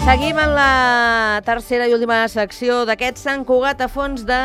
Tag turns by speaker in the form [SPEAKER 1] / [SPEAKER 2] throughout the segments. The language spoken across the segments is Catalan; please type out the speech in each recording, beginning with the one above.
[SPEAKER 1] Seguim en la tercera i última secció d'aquest Sant Cugat a fons de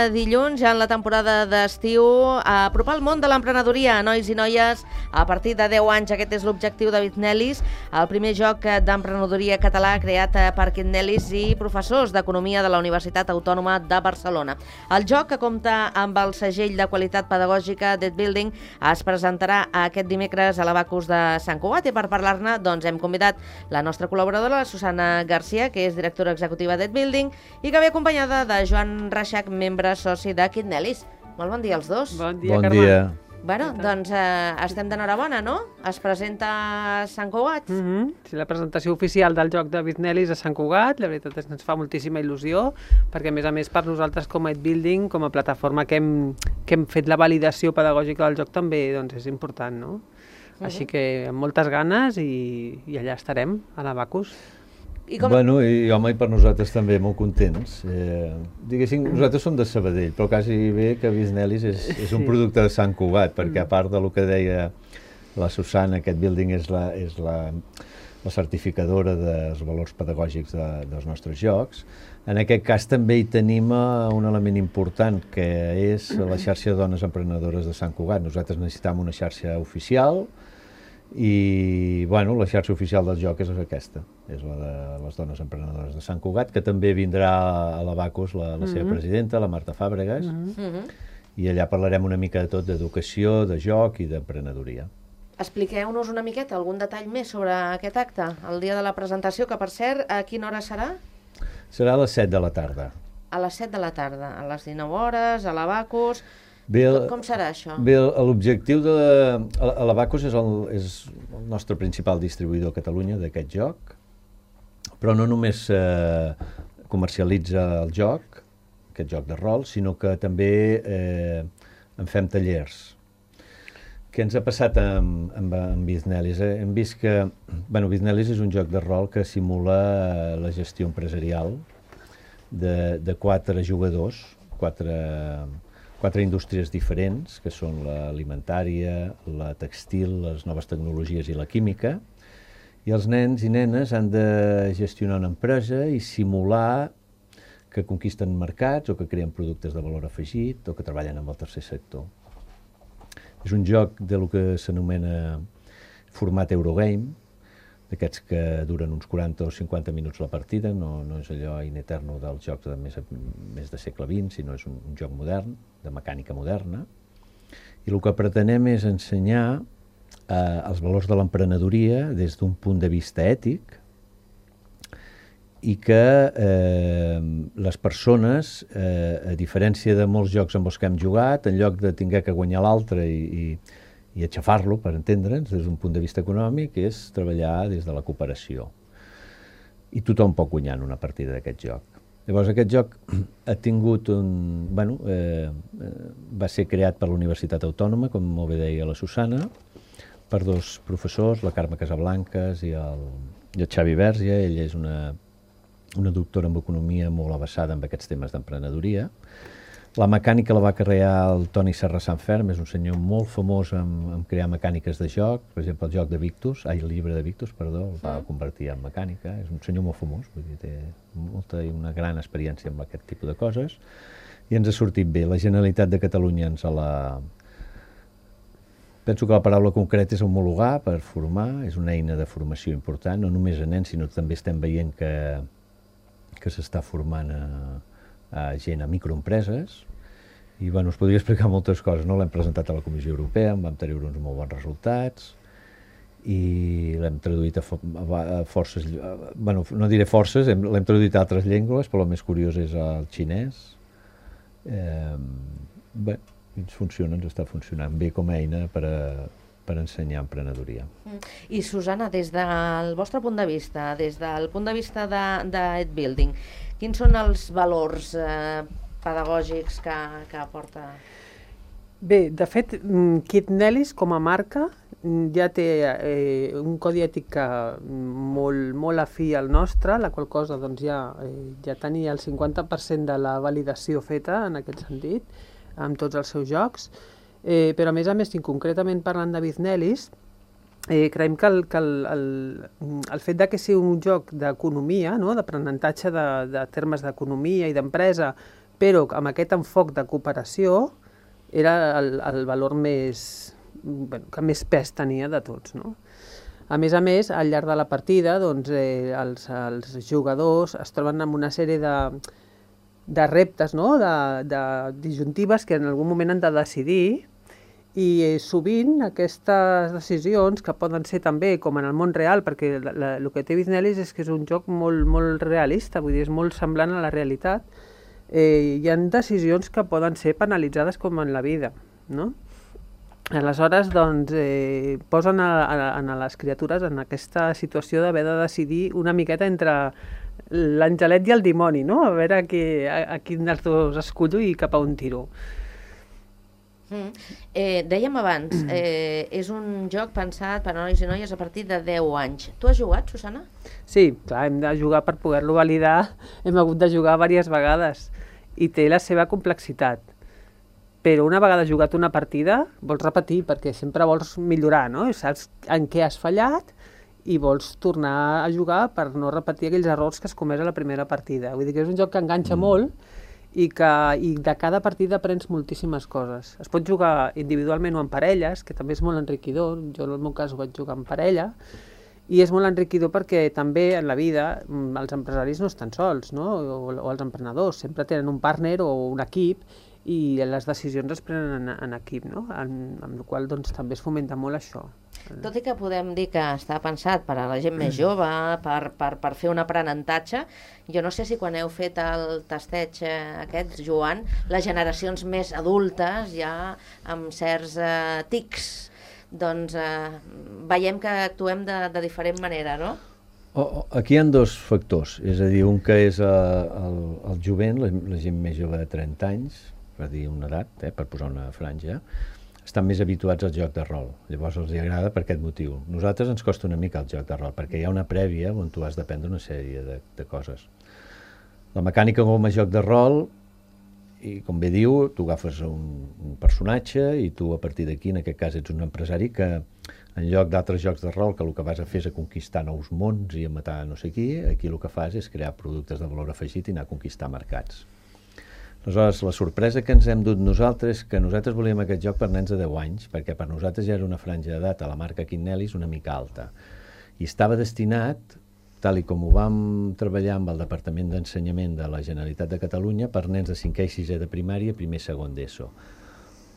[SPEAKER 1] dilluns, ja en la temporada d'estiu, a apropar el món de l'emprenedoria a nois i noies a partir de 10 anys. Aquest és l'objectiu de Bitnelis, el primer joc d'emprenedoria català creat per Bitnelis i professors d'Economia de la Universitat Autònoma de Barcelona. El joc, que compta amb el segell de qualitat pedagògica d'Ed Building, es presentarà aquest dimecres a l'Abacus de Sant Cugat i per parlar-ne hem convidat la nostra col·laboradora, la Susana Garcia, que és directora executiva d'Ed Building i que ve acompanyada de Joan Reixac, membre soci de Bitnelis. Molt bon dia als dos.
[SPEAKER 2] Bon dia,
[SPEAKER 3] Carme.
[SPEAKER 2] Bon dia.
[SPEAKER 1] Bueno, doncs estem d'enhorabona, no? Es presenta a Sant Cugat.
[SPEAKER 2] Sí, la presentació oficial del joc de Bitnelis a Sant Cugat. La veritat és que ens fa moltíssima il·lusió, perquè a més per nosaltres com a Ed Building, com a plataforma que hem fet la validació pedagògica del joc, també és important, no? Així que amb moltes ganes i allà estarem, a l'Abacus.
[SPEAKER 3] Bueno, i home, i per nosaltres també molt contents. Diguéssim, nosaltres som de Sabadell, però quasi bé que Bitnelis és un producte de Sant Cugat, perquè a part del que deia la Susana, aquest building és la certificadora dels valors pedagògics dels nostres jocs. En aquest cas també hi tenim un element important, que és la xarxa de dones emprenedores de Sant Cugat. Nosaltres necessitem una xarxa oficial, i bueno, la xarxa oficial del joc és aquesta, és la de les dones emprenedores de Sant Cugat, que també vindrà a l'Abacus la seva presidenta, la Marta Fàbregas, i allà parlarem una mica de tot, d'educació, de joc i d'emprenedoria.
[SPEAKER 1] Expliqueu-nos una miqueta, algun detall més sobre aquest acte, el dia de la presentació, que per cert, a quina hora serà?
[SPEAKER 3] Serà a les 7 de la tarda.
[SPEAKER 1] A les 7 de la tarda, a les 19 hores, a l'Abacus. Com serà això?
[SPEAKER 3] Bé, l'objectiu de l'Abacus és el nostre principal distribuïdor a Catalunya d'aquest joc, però no només comercialitza el joc, aquest joc de rol, sinó que també en fem tallers. Què ens ha passat amb Bitnelis? Hem vist que Bitnelis és un joc de rol que simula la gestió empresarial de 4 jugadors, quatre indústries diferents, que són l'alimentària, la textil, les noves tecnologies i la química, i els nens i nenes han de gestionar una empresa i simular que conquisten mercats o que creen productes de valor afegit o que treballen amb el tercer sector. És un joc de lo que s'anomena format Eurogame, d'aquests que duren uns 40 o 50 minuts la partida, no és allò in eterno dels jocs de més de segle XX, sinó és un joc modern, de mecànica moderna, i el que pretenem és ensenyar els valors de l'emprenedoria des d'un punt de vista ètic i que les persones, a diferència de molts jocs amb els que hem jugat, en lloc de haver que guanyar l'altre i aixafar-lo, per entendre'ns, des d'un punt de vista econòmic, és treballar des de la cooperació. I tothom pot guanyar en una partida d'aquest joc. Llavors, aquest joc ha tingut va ser creat per la Universitat Autònoma, com molt bé deia la Susana, per 2 professors, la Carme Casablancas i el Xavi Verge. Ella és una doctora en economia molt avesada en aquests temes d'emprenedoria. La mecànica la va crear el Toni Serra Sanferm, és un senyor molt famós en crear mecàniques de joc. Per exemple, el joc de Victus, el llibre de Victus, perdó, el va convertir en mecànica. És un senyor molt famós, vull dir, té molta i una gran experiència amb aquest tipus de coses. I ens ha sortit bé. La Generalitat de Catalunya penso que la paraula concreta és homologar per formar, és una eina de formació important, no només a nens, sinó també estem veient que s'està formant a gent, a microempreses, i us podria explicar moltes coses, no? L'hem presentat a la Comissió Europea, en vam treure uns molt bons resultats, i l'hem traduït a forces, no diré forces, l'hem traduït a altres llengües, però el més curiós és el xinès. Bé, ens està funcionant bé com a eina per ensenyar emprenedoria.
[SPEAKER 1] I Susana, des del vostre punt de vista, des del punt de vista d'Ed Building, quins són els valors pedagògics que aporta?
[SPEAKER 2] Bé, de fet, Bitnelis com a marca ja té un codi ètic molt afí al nostre, la qual cosa ja tenia el 50% de la validació feta en aquest sentit, amb tots els seus jocs, però a més, concretament parlant de Bitnelis, creiem que el fet de que sigui un joc d'economia, no? D'aprenentatge de termes d'economia i d'empresa, però amb aquest enfoc de cooperació, era el valor que més pes tenia de tots, no? A més, al llarg de la partida, doncs, els jugadors es troben amb una sèrie de reptes, no? de disjuntives que en algun moment han de decidir, i sovint aquestes decisions, que poden ser també com en el món real, perquè el que té Biznelis és que és un joc molt, molt realista, vull dir, és molt semblant a la realitat, hi ha decisions que poden ser penalitzades com en la vida, no? Aleshores, doncs, posen a les criatures en aquesta situació d'haver de decidir una miqueta entre l'angelet i el dimoni, no? A veure a quin dels dos escollo i cap a on tiro.
[SPEAKER 1] Dèiem abans, és un joc pensat per a nois i noies a partir de 10 anys. Tu has jugat, Susana?
[SPEAKER 2] Sí, clar, hem de jugar per poder-lo validar, hem hagut de jugar diverses vegades i té la seva complexitat. Però una vegada jugat una partida, vols repetir, perquè sempre vols millorar, no? Saps en què has fallat i vols tornar a jugar per no repetir aquells errors que has comès a la primera partida. Vull dir que és un joc que enganxa molt i de cada partida aprens moltíssimes coses. Es pot jugar individualment o en parelles, que també és molt enriquidor. Jo en el meu cas ho vaig jugar en parella, i és molt enriquidor perquè també en la vida els empresaris no estan sols, no? O els emprenedors, sempre tenen un partner o un equip, i les decisions es prenen en equip, no? Amb la qual cosa doncs, també es fomenta molt això.
[SPEAKER 1] Tot i que podem dir que està pensat per a la gent més jove, per fer un aprenentatge, jo no sé si quan heu fet el tasteig aquest, Joan, les generacions més adultes, ja amb certs tics, doncs veiem que actuem de diferent manera, no?
[SPEAKER 3] Aquí hi ha dos factors, és a dir, un que és el jovent, la gent més jove de 30 anys, per dir una edat, per posar una franja, estan més habituats al joc de rol. Llavors els agrada per aquest motiu. Nosaltres ens costa una mica el joc de rol, perquè hi ha una prèvia on tu has d'aprendre una sèrie de coses. La mecànica com a joc de rol, i com bé diu, tu agafes un personatge i tu a partir d'aquí, en aquest cas, ets un empresari que en lloc d'altres jocs de rol que el que vas a fer és a conquistar nous mons i a matar no sé qui, aquí el que fas és crear productes de valor afegit i anar a conquistar mercats. Aleshores, la sorpresa que ens hem dut nosaltres és que nosaltres volíem aquest joc per nens de 10 anys, perquè per nosaltres ja era una franja d'edat a la marca Quinnelis una mica alta. I estava destinat, tal i com ho vam treballar amb el Departament d'Ensenyament de la Generalitat de Catalunya, per nens de 5è i 6è de primària, primer i segon d'ESO.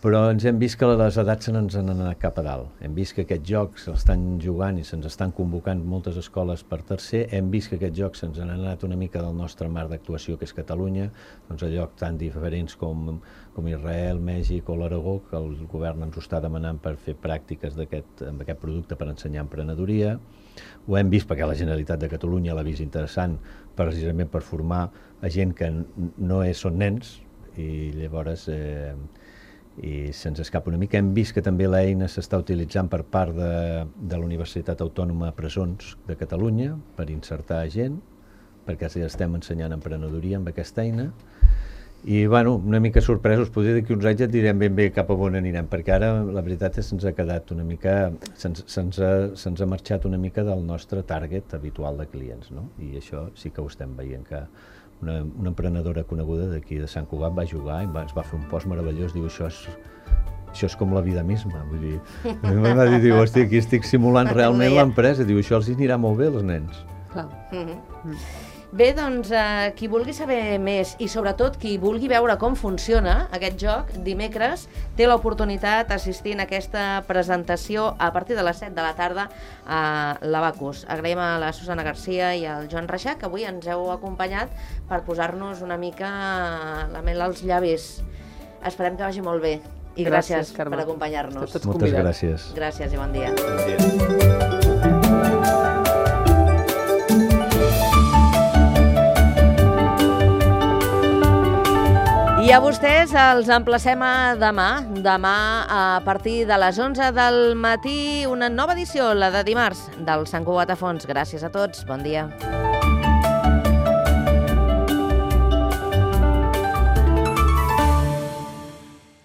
[SPEAKER 3] Però ens hem vist que les edats se n'ens han anat cap a dalt. Hem vist que aquest joc s'estan jugant i se'ns estan convocant moltes escoles per tercer. Hem vist que aquest joc se'ns ha anat una mica del nostre marc d'actuació, que és Catalunya, doncs a llocs tan diferents com Israel, Mèxic o l'Aragó, que el govern ens ho està demanant per fer pràctiques amb aquest producte per ensenyar emprenedoria. Ho hem vist perquè la Generalitat de Catalunya l'ha vist interessant precisament per formar a gent que no són nens, i llavors i se'ns escapa una mica. Hem vist que també l'eina s'està utilitzant per part de la Universitat Autònoma de Presons de Catalunya per insertar gent, perquè estem ensenyant emprenedoria amb aquesta eina. I bueno, una mica sorpresos, potser d'aquí uns anys et direm ben bé cap a on anirem, perquè ara la veritat és que se'ns ha quedat una mica, se'ns ha marxat una mica del nostre target habitual de clients, no? I això sí que ho estem veient, que una emprenedora coneguda d'aquí de Sant Cugat va jugar i ens va fer un post meravellós, diu, això és com la vida misma, vull dir, em va dir, hòstia, aquí estic simulant realment l'empresa, diu, això els anirà molt bé als nens.
[SPEAKER 2] Clar.
[SPEAKER 1] Bé, doncs, qui vulgui saber més i sobretot qui vulgui veure com funciona aquest joc, dimecres té l'oportunitat d'assistir a aquesta presentació a partir de les 7 de la tarda a l'Abacus. Agraïm a la Susana Garcia i al Joan Reixac, que avui ens heu acompanyat per posar-nos una mica la mel als llavis. Esperem que vagi molt bé i gràcies per acompanyar-nos.
[SPEAKER 3] Moltes gràcies.
[SPEAKER 1] Gràcies i bon dia.
[SPEAKER 3] Bon dia.
[SPEAKER 1] I a vostès els emplacem a demà. Demà, a partir de les 11 del matí, una nova edició, la de dimarts, del Sant Cugat a Fons. Gràcies a tots. Bon dia.